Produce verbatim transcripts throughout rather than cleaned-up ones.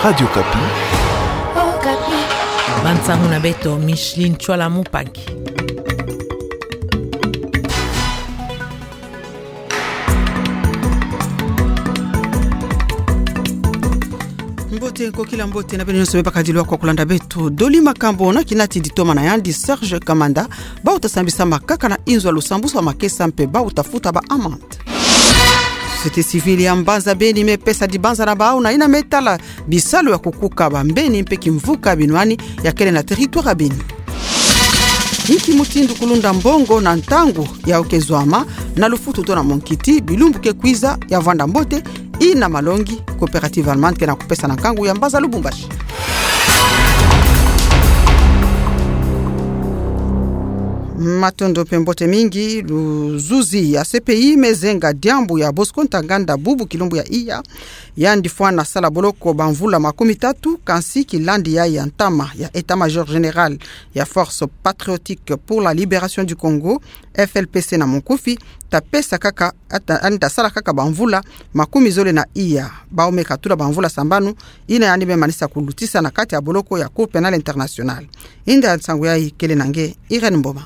Radio Okapi. Bansangu na beto, Micheline Tshoala Mupangi. Mbote, nkokila mbote na beno nyonso me bakadilwa kwa kulanda beto. Doli makambo na kinati ditoma na yandi Serge Kamanda, bau ta sambisa makaka na inzo ya lusambusu wa makesa mpe bau ta futa ba amende. Société civile ya mbanza Beni me pesa dibanza na bau na yina me tala bisalu ya kukuka bambeni mpe kimvuka binwani ya kele na territoire ya Beni. Inki mutindu kulunda mbongo na ntangu ya okezwama na lufutu to na monkiti bilumbu ke kwiza ya vwanda mbote, yina malongi Coopérative Allemande ke na kupesa na nkangu ya mbanza Lubumbashi. Matondo mpe mbote mingi. Luzuzi ya C P I me zenga diambu ya Bosco Ntaganda bubu kilumbu ya iya. Yandi fwana sala boloko bamvula makumi tatu, kansi kilandi yayi ya ntama ya État-Major Général ya Force Patriotique pour la Libération du Congo, F L P C na monkufi, ta pesa kaka, ata, yandi ta sala kaka bamvula makumi zole na iya. Bau me katula bamvula sambanu, yina yandi me manisa kulutisa na kati ya boloko ya Cour pénale internationale. Inda ya nsangu yayi kele na nge, Irène Mboma.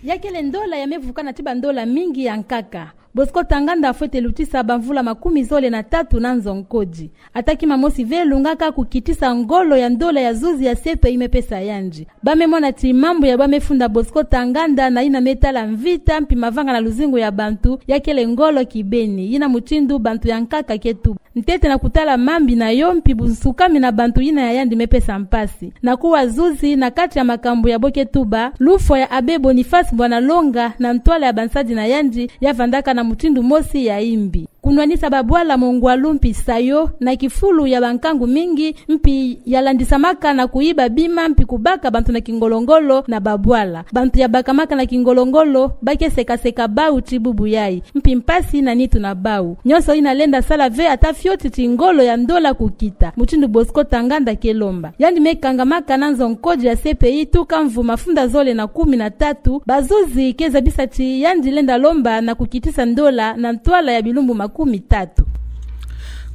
Ya kele ndola ya me vukana ti bandola mingi ya nkaka. Bosco Ntaganda fwete lutisa bamvula makumi zole na tatu na nzo nkodi. Ata kima mosi ve lungaka kukitisa ngolo ya ndola ya zuzi ya C P I me pesa yandi. Ba me mona ti mambu ya ba me funda Bosco Ntaganda na yina me tala mvita mpi mavanga na luzingu ya bantu ya kele ngolo kibeni, yina mutindu bantu ya nkaka ke tuba. Ntete na kutala mambi na yo mpi bunsukami na bantu yina ya yandi me pesa mpasi. Na kuwa zuzi na kati ya makambu ya bo ke tuba, lufwa ya Abbé Boniface Mbwana Longa na ntwala ya bansadi na yandi ya vandaka na mutindu mosi ya yimbi. Kunwanisa babwala mongwalu mpi sayo na kifulu ya bankangu mingi, mpi ya landisamaka na kuyiba bima mpi kubaka bantu na kingolo-ngolo na babwala. Bantu ya bakamaka na kingolo-ngolo ba ke seka-seka bau ti bubu yayi, mpi mpasi na nitu na bau. Nyonso yina lenda sala ve ata fioti ti ngolo ya ndola kukita, mutindu Bosco Ntaganda ke lomba. Yandi me kangamaka na nzo nkodi ya C P I tuka mvu mafunda zole na kumi na tatu, bazuzi ke zabisa ti yandi lenda lomba na kukitisa ndola na ntwala ya bilumbu makumi tatu.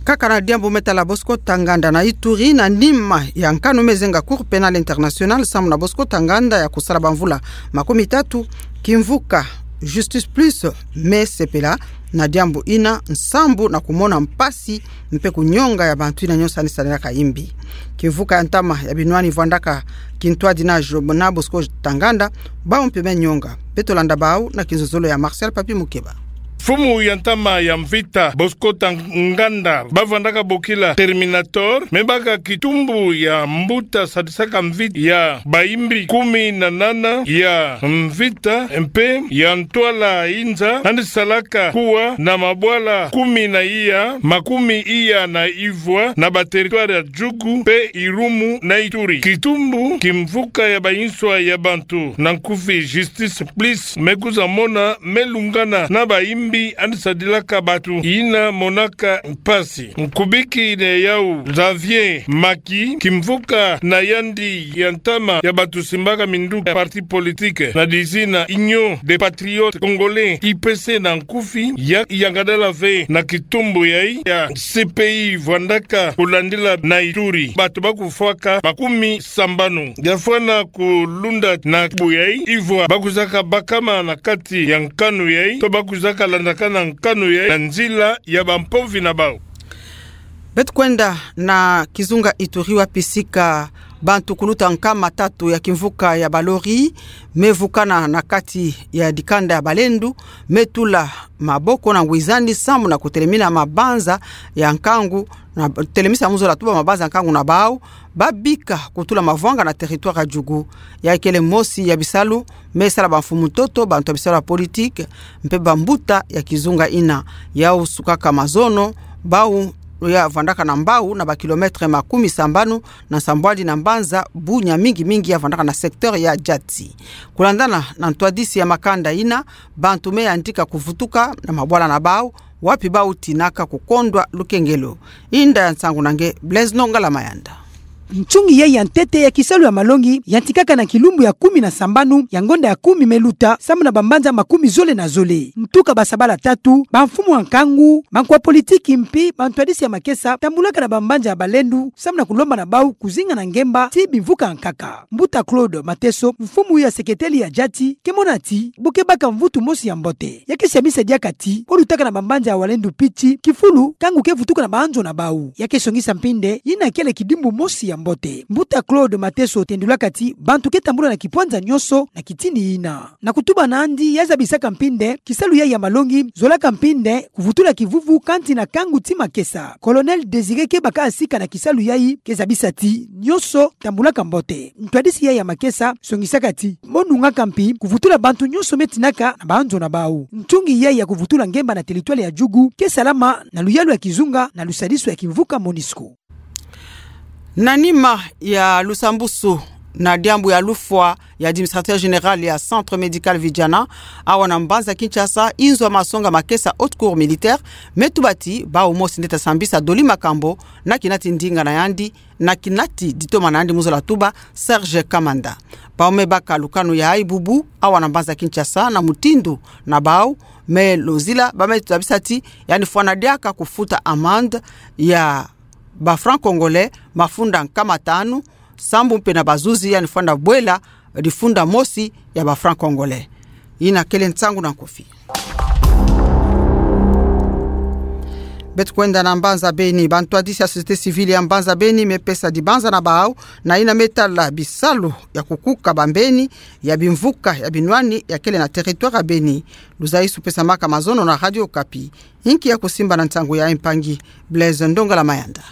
Kaka na diambu me tala Bosco Ntaganda na Ituri, na nima ya nkanu me zenga Cour pénale internationale sambu na Bosco Ntaganda ya kusala bamvula makumi tatu, kimvuka Justice Plus me sepela na diambu yina nsambu na kumona mpasi mpe kunyonga ya bantu yina nyonso yandi salelaka yimbi. Kimvuka ya ntama ya binwani vwandaka kintwadi na Job na Bosco Ntaganda, bau mpe me nyonga. Beto landa bau na kinzozolo ya Martial Papi Mukeba. Mfumu ya ntama ya mvita Bosco Ntaganda, ba vwandaka bokila Terminator, me baka kitumbu ya mbuta sadisaka mvita ya bayimbi kumi na nana ya mvita mpe ya ntwala inza, yandi salaka kuwa na mabwala kumi na iya, makumi iya na ivwa na ba territoire ya Djugu mpe Irumu na Ituri. Kitumbu kimvuka ya banswa ya bantu, na nkufi Justice Plus, me kwiza mona me lungana na bayimbi yandi sadilaka bantu yina monaka mpasi. Nkubiki ne yau Xavier Maki, kimvuka na yandi ya ntama ya bantu simbaka minduki ya parti politique na dizina Union des Patriotes Congolais, U P C na nkufi, ya, yangadala ve na kitumbu yayi ya C P I vwandaka kulandila na Ituri. Bantu ba kufwaka makumi sambanu ya fwana kulunda na kitumbu yayi, ivwa ba kwizaka bakama na kati ya nkanu yayi, to ba kwizaka landakana nkanu yayi na nzila ya bampovi na bau. Beto kwenda na kizunga Ituri, wapi sika bantu kuluta nkama tatu ya kimvuka ya balori me vukana na kati ya dikanda ya balendu, me tula maboko na ngwizani sambu na kutelemina mabanza ya nkangu, na telemisa mu zola tuba mabanza ya nkangu na bau, ba bika kutula mavwanga na territoire ya Djugu. Yayi kele mosi ya bisalu me sala bamfumu ntoto, bantu ya bisalu ya politique, mpe bambuta ya kizunga yina. Yau sukaka mazono, bau ya vwandaka na mbau na ba kilomètre makumi sambanu na nsambwadi na mbanza Bunia, mingi mingi ya vwandaka na secteur ya Diati. Kulandana na ntwadisi ya makanda yina, bantu me yandika kuvutuka na mabwala na bau, wapi bau tinaka kukondwa lukengelo. Inda ya nsangu na nge Blaise Nongala Mayanda. Nsungi yai ya ntete ya kisalu ya malongi yantikaka na kilumbu ya kumi na sambanu ya ngonda ya kumi me luta, samu na bambanza makumi zole na zole. Ntuka basabala tatu, bamfumu ya nkangu, bankwa politiki mpi bantwadisi ya makesa tambulaka na bambanza ya balendu, samu na kulomba na bau kuzinga na ngemba ti bimvuka ya nkaka. Mbuta Claude Mateso, mfumu ya seketeli ya jati, ke mona ti bu ke baka mvutu mosi ya mbote, ya ke siamisa diaka ti bo lutaka na bambanza ya walendu piti kifulu nkangu ke vutuka na banzo na bau. Ya ke songisa mpi nde yina kele kidimbu mosi ya mbote. Mbuta Claude Mateso tendulaka ti bantu ke tambula na kipwanza nyonso na kitini yina. Na kutuba nandi, ya zabisaka mpi nde kisalu yai ya malongi zolaka mpi nde kuvutula kivuvu kati na nkangu ti makesa. Colonel Désiré Kebaka, asika na kisalu yai, ke zabisa ti nyonso tambulaka mbote. Ntwadisi yai ya makesa songisaka ti bo nungaka mpi kuvutula bantu nyonso me tinaka na banzo na bau. Nsungi yai ya kuvutula ngemba na teritware ya Djugu ke salama na luyalu ya kizunga na lusadisu ya kimvuka MONUSCO. Na nima ya lusambusu na diambu ya lufwa ya administrateur général ya Centre Médical Vidiana, awa na mbanza Kinshasa, inzo ya masonga makesa Haute Cour Militaire me tuba ti bau mosi nde ta sambisa doli makambo na kinati ndinga na yandi, na kinati ditoma na yandi, mu zola tuba Serge Kamanda. Bau me baka lukanu ya ibubu awa na mbanza Kinshasa na mutindu na bau me lozila, ba me zabisa ti yandi fwana diaka kufuta amende ya ba francs congolais mafunda nkama tanu, sambu mpe na bazuzi yandi fwana bwela difunda mosi ya ba francs congolais. Yina kele nsangu na nkufi. Beto kwenda na mbanza Beni. Bantwadisi ya société civile ya mbanza Beni me pesa dibanza na bau na yina me tala bisalu ya kukuka bambeni ya bimvuka ya binwani ya kele na territoire ya Beni. Luzaisu pesamaka mazono na Radio Okapi. Inki ya kusimba na nsangu yai, mpangi Blaise Ndongala Mayanda.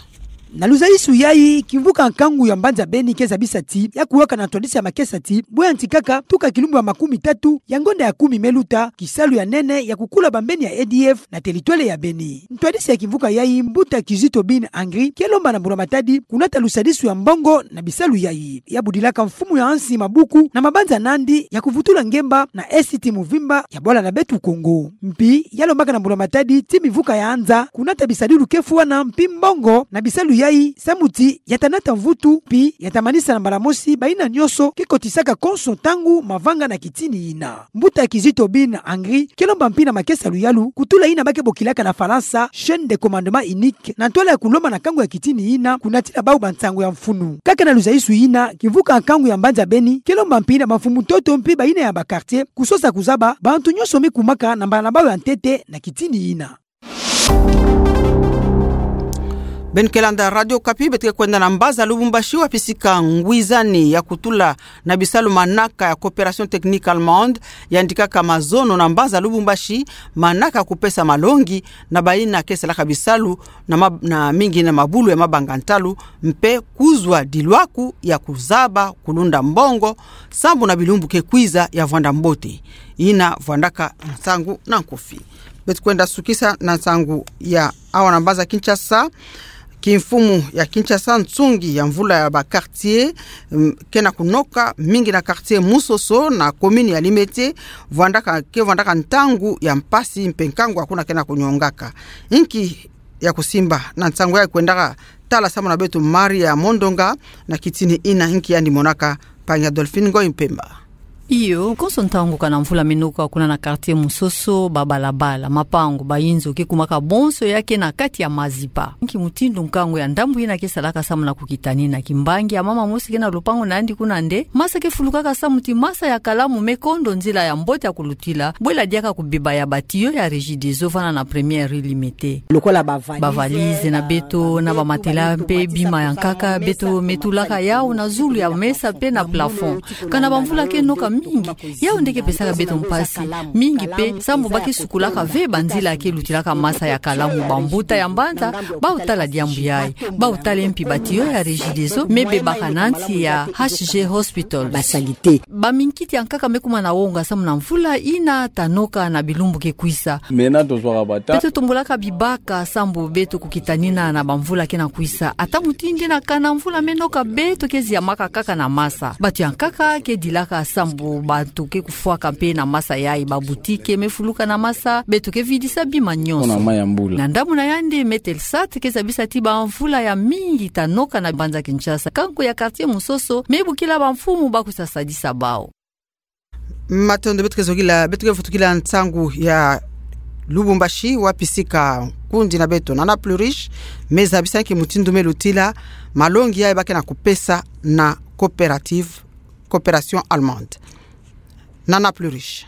Na luzaisu yai, kimvuka nkangu ya mbanza Beni ke zabisa ti ya kuwaka na ntwadisi ya makesa ti bo yantikaka tuka kilumbu ya makumi tatu ya ngonda ya kumi me luta kisalu ya nene ya kukula bambeni ya A D F na territoire ya Beni. Ntwadisi ya kimvuka yai, mbuta Kizito Bin Angri, ke lomba na mbula matadi kunata lusadisu ya mbongo na bisalu yai. Ya budilaka mfumu ya nsi mabuku na mabanza nandi ya kuvutula ngemba na Est ti muvimba ya bwala na beto Kongo. Mpi ya lombaka na mbula matadi ti mimvuka ya nza kunata bisadilu ke fwana mpi mbongo na bisalu yai, samu ti ya ta nata mvutu mpi ya ta manisa na mbala mosi bayina nyonso ke kotisaka konso ntangu mavanga na kitini yina. Mbuta Kizito Bin Angri ke lomba mpi na makesa luyalu kutula yina ba ke bokilaka na Falansa chaîne de commandement unique, na ntwala ya kulomba na nkangu ya kitini yina kunatila bau bansangu ya mfunu. Kaka na luzaisu yina, kimvuka nkangu ya mbanza Beni ke lomba mpi na bamfumu ntoto mpi bayina ya ba quartier kusosa kuzaba bantu nyonso me kumaka na mbala na bau ya ntete na kitini yina. Beno ke landa Radio Okapi, beto ke kwenda na mbanza Lubumbashi, wapi sika ngwizani ya kutula na bisalu manaka ya Coopération Technique Allemande yandikaka mazono na mbanza Lubumbashi manaka ya kupesa malongi na bayina ke salaka bisalu na ma-, na mingi na mabulu ya mabanga ntalu, mpe kuzwa dilwaku ya kuzaba kulunda mbongo sambu na bilumbu ke kwiza ya vwanda mbote. Yina vwandaka nsangu na nkufi. Beto kwenda sukisa na nsangu ya awa na mbanza Kinshasa. Kimfumu ya Kinshasa, nsungi ya mvula ya ba quartier, mm, ke na kunoka mingi na quartier Musoso na commune ya Limete, vwandaka, ke vwandaka ntangu ya mpasi mpe nkangu ya kuna ke na kunyongaka. Inki ya kusimba na nsangu yai, kwendaka tala samu na beto Maria Mondonga na kitini yina, inki yandi monaka, mpangi Adolphine Ngoyi Mpemba. Iyo, konso ntangu kana mvula me noka kuna na quartier Musoso, babalabala, mapangu, bayinzo ke kumaka bonso ya ke na kati ya mazipa. Nki mutindu nkangu ya ndambu yina ke salaka samu na kukitanina? Kimbangi ya mama mosi ke na lupangu na yandi kuna nde, masa ke fulukaka samu ti masa ya kalamu me kondo nzila ya mbote ya kulutila, bwela diaka kubeba ya ba tuyau ya Regideso vana na première rue Limete. Lokola ba valises na beto, na ba matelas mpe bima ya nkaka, beto me tulaka yau na zulu ya mesa mpe na plafond. Kana bamvula ke noka mingi, yau nde ke pesaka beto mpasi mingi mpe, sambu ba ke sukulaka ve banzila ke lutilaka masa ya kalamu. Bambuta ya mbanza, bau tala diambu yai. Bau tala mpi ba tuyau ya Regideso me bebaka na nsi ya H G Hospital. Ba minkiti ya nkaka me kuma na wonga samu na mvula yina ta noka na bilumbu ke kwisa. Mena tozwaka bata. Beto tombolaka bibaka sambu beto kukitanina na bamvula ke na kwisa. Ata mutindu na kana mvula me noka, beto ke ziamaka kaka na masa. Bato ya nkaka ke dilaka sambu Bantu ke kufwaka mpe na masa yayi, babutike me fuluka na masa, beto ke vidisa bima nyonso. Ona mai ya mbula. Na ndambu na yandi, Me Telsat ke zabisa ti bamvula ya mingi ta noka na mbanza Kinshasa, kanko ya quartier Musoso, me bukila bamfumu ba kusa sadisa bau. Matondo. Beto ke zokila, beto ke vutukila nsangu ya Lubumbashi, wapi sika nkundi na beto Nana Plurish me zabisa nki mutindu me lutila malongi yayi ba ke na kupesa na coopérative, coopération allemande. Nana Plurish.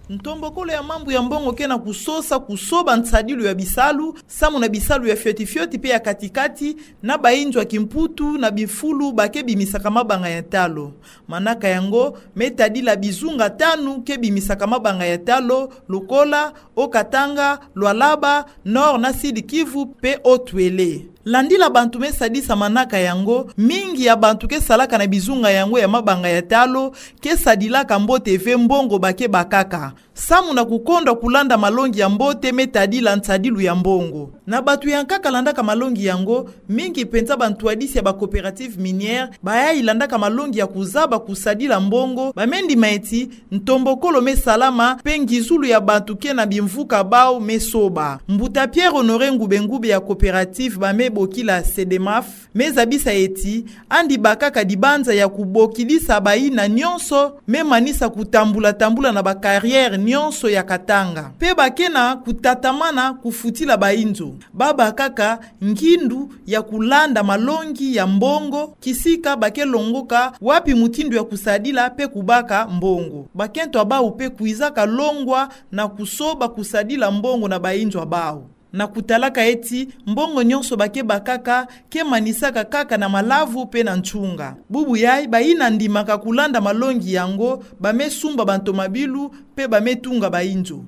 Ntombokolo ya mambu ya mbongo ke na kusosa kusoba nsadilu ya bisalu, samu na bisalu ya fioti fioti mpe ya kati-kati, na bainzo ya kimputu na bifulu ba ke bimisaka mabanga ya talo. Manaka yango me tadila bizunga tanu ke bimisaka mabanga ya talo, lokola Haut-Katanga, Lualaba, Nord na Sud-Kivu mpe Haut-Uele. Landila bantu me sadisa manaka yango, mingi ya bantu ke salaka na bizunga yango ya mabanga ya talo ke sadilaka mbote ve mbongo ba ke bakaka, samu na kukondwa kulanda malongi ya mbote me tadila nsadilu ya mbongo. Na bantu ya nkaka landaka malongi yango, mingi mpenza bantwadisi ya ba coopératives minières, bayayi landaka malongi ya kuzaba kusadila mbongo, ba me ndima eti ntombokolo me salama mpe ngizulu ya bantu ke na bimvuka bau me soba. Mbuta Pierre Honoré Ngube-Ngube ya coopérative ba me bokila Cedemaf me zabisa eti andi bakaka dibanza ya kubokidisa bayina nyonso me manisa kutambula-tambula na ba carrières nyonso ya Katanga, mpe ba ke na kutatamana kufutila bainzo. Ba bakaka ngindu ya kulanda malongi ya mbongo kisika ba ke longoka wapi mutindu ya kusadila mpe kubaka mbongo. Bakento ya bau mpe kwizaka longwa na kusoba kusadila mbongo na bainzo ya bau, na kutalaka eti mbongo nyonso ba ke bakaka ke manisaka kaka na malavu mpe na nsunga. Bubu yayi, bayina ndimaka kulanda malongi yango ba me sumba bantomabilu mpe ba me tunga bainzo.